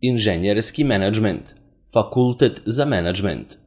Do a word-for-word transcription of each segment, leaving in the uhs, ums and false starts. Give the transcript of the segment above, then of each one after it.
Inženjerski menadžment, fakultet za menadžment.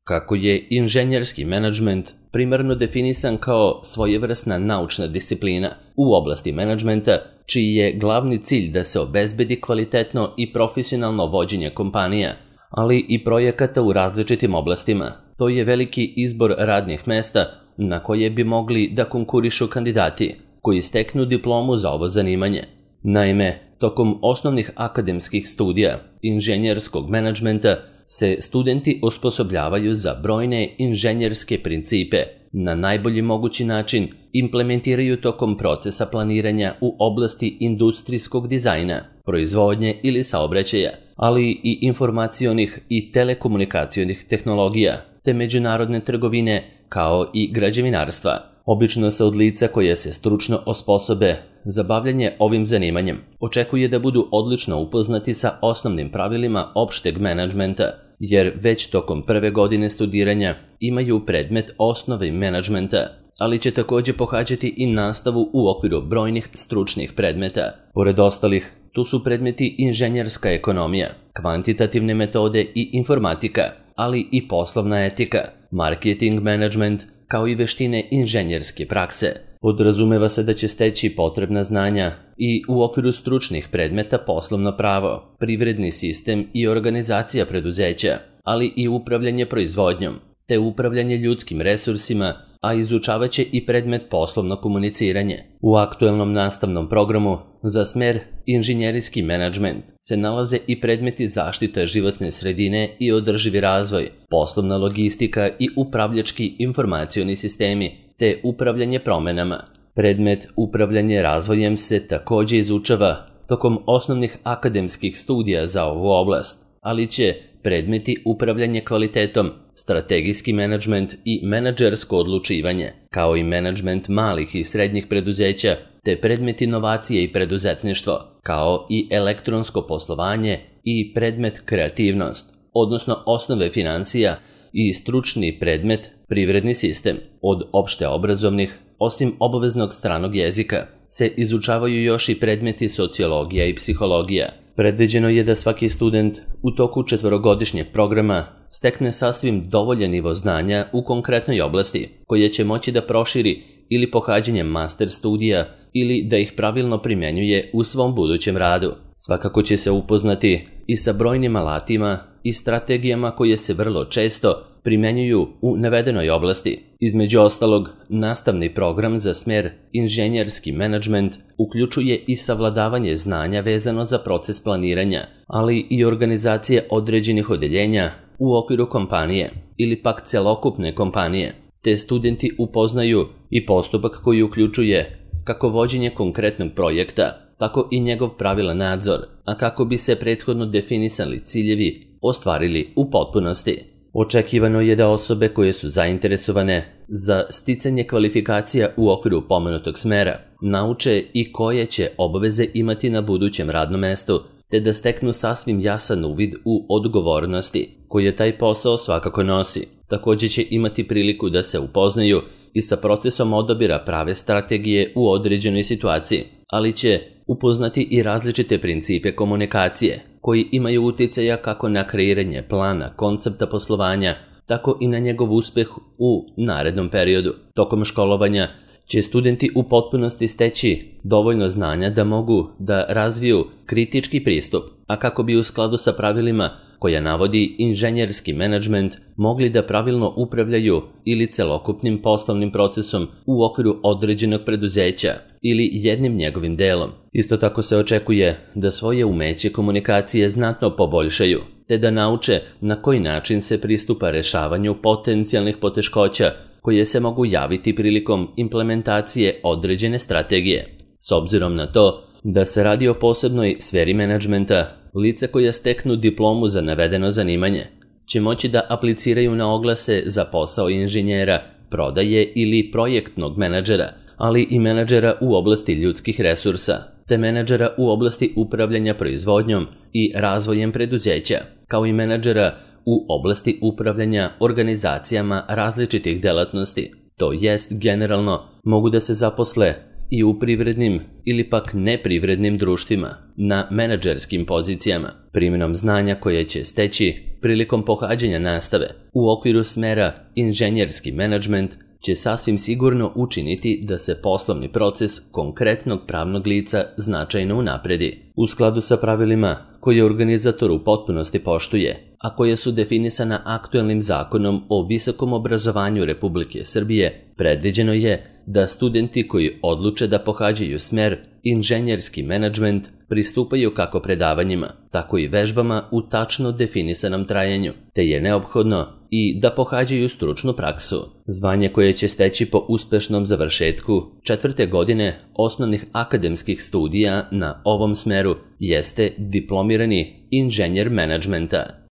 Kako je inženjerski menadžment primarno definisan kao svojevrsna naučna disciplina u oblasti menadžmenta, čiji je glavni cilj da se obezbedi kvalitetno i profesionalno vođenje kompanija, ali i projekata u različitim oblastima. To je veliki izbor radnih mesta na koje bi mogli da konkurišu kandidati koji steknu diplomu za ovo zanimanje. Naime, tokom osnovnih akademskih studija inženjerskog menadžmenta se studenti osposobljavaju za brojne inženjerske principe, na najbolji mogući način implementiraju tokom procesa planiranja u oblasti industrijskog dizajna, proizvodnje ili saobraćaja, ali i informacionih i telekomunikacionih tehnologija, te međunarodne trgovine kao i građevinarstva. Obično se od lica koje se stručno osposobe za bavljanje ovim zanimanjem očekuje da budu odlično upoznati sa osnovnim pravilima opšteg menadžmenta, jer već tokom prve godine studiranja imaju predmet osnove menadžmenta, ali će također pohađati i nastavu u okviru brojnih stručnih predmeta. Pored ostalih, tu su predmeti inženjerska ekonomija, kvantitativne metode i informatika, ali i poslovna etika, marketing menadžment, kao i veštine inženjerske prakse. Podrazumeva se da će steći potrebna znanja i u okviru stručnih predmeta poslovno pravo, privredni sistem i organizacija preduzeća, ali i upravljanje proizvodnjom, te upravljanje ljudskim resursima, a izučavat će i predmet poslovno komuniciranje. U aktuelnom nastavnom programu za smer inženjerijski menadžment se nalaze i predmeti zaštite životne sredine i održivi razvoj, poslovna logistika i upravljački informacioni sistemi, te upravljanje promenama. Predmet upravljanje razvojem se također izučava tokom osnovnih akademskih studija za ovu oblast, ali će predmeti upravljanje kvalitetom, strategijski menadžment i menadžersko odlučivanje, kao i menadžment malih i srednjih preduzeća, te predmet inovacije i preduzetništvo, kao i elektronsko poslovanje i predmet kreativnost, odnosno osnove financija i stručni predmet privredni sistem. Od opšte obrazovnih, osim obaveznog stranog jezika, se izučavaju još i predmeti sociologija i psihologija. Predviđeno je da svaki student u toku četvorogodišnjeg programa stekne sasvim dovoljan nivo znanja u konkretnoj oblasti, koje će moći da proširi ili pohađanjem master studija ili da ih pravilno primjenjuje u svom budućem radu. Svakako će se upoznati i sa brojnim alatima i strategijama koje se vrlo često primjenjuju u navedenoj oblasti. Između ostalog, nastavni program za smer inženjerski menadžment uključuje i savladavanje znanja vezano za proces planiranja, ali i organizacije određenih odeljenja u okviru kompanije ili pak celokupne kompanije, te studenti upoznaju i postupak koji uključuje kako vođenje konkretnog projekta, tako i njegov pravilan nadzor, a kako bi se prethodno definisali ciljevi ostvarili u potpunosti. Očekivano je da osobe koje su zainteresovane za sticanje kvalifikacija u okviru pomenutog smera nauče i koje će obaveze imati na budućem radnom mestu, te da steknu sasvim jasan uvid u odgovornosti koje taj posao svakako nosi. Također će imati priliku da se upoznaju i sa procesom odabira prave strategije u određenoj situaciji, ali će upoznati i različite principe komunikacije, koji imaju uticaja kako na kreiranje plana, koncepta poslovanja, tako i na njegov uspeh u narednom periodu. Tokom školovanja će studenti u potpunosti steći dovoljno znanja da mogu da razviju kritički pristup, a kako bi u skladu sa pravilima koja navodi inženjerski menadžment mogli da pravilno upravljaju ili celokupnim poslovnim procesom u okviru određenog preduzeća ili jednim njegovim delom. Isto tako se očekuje da svoje umeće komunikacije znatno poboljšaju, te da nauče na koji način se pristupa rešavanju potencijalnih poteškoća koje se mogu javiti prilikom implementacije određene strategije. S obzirom na to da se radi o posebnoj sferi menadžmenta, lica koja steknu diplomu za navedeno zanimanje će moći da apliciraju na oglase za posao inženjera, prodaje ili projektnog menadžera, ali i menadžera u oblasti ljudskih resursa, te menadžera u oblasti upravljanja proizvodnjom i razvojem preduzeća, kao i menadžera u oblasti upravljanja organizacijama različitih delatnosti. To jest, generalno, mogu da se zaposle i u privrednim ili pak neprivrednim društvima na menadžerskim pozicijama, primjenom znanja koje će steći prilikom pohađanja nastave u okviru smera inženjerski menadžment će sasvim sigurno učiniti da se poslovni proces konkretnog pravnog lica značajno unapredi. U skladu sa pravilima koje organizator u potpunosti poštuje, a koje su definisana aktuelnim zakonom o visokom obrazovanju Republike Srbije, predviđeno je da studenti koji odluče da pohađaju smer inženjerski menadžment pristupaju kako predavanjima, tako i vežbama u tačno definisanom trajanju, te je neophodno i da pohađaju stručnu praksu. Zvanje koje će steći po uspešnom završetku četvrte godine osnovnih akademskih studija na ovom smeru jeste diplomirani inženjer menadžmenta.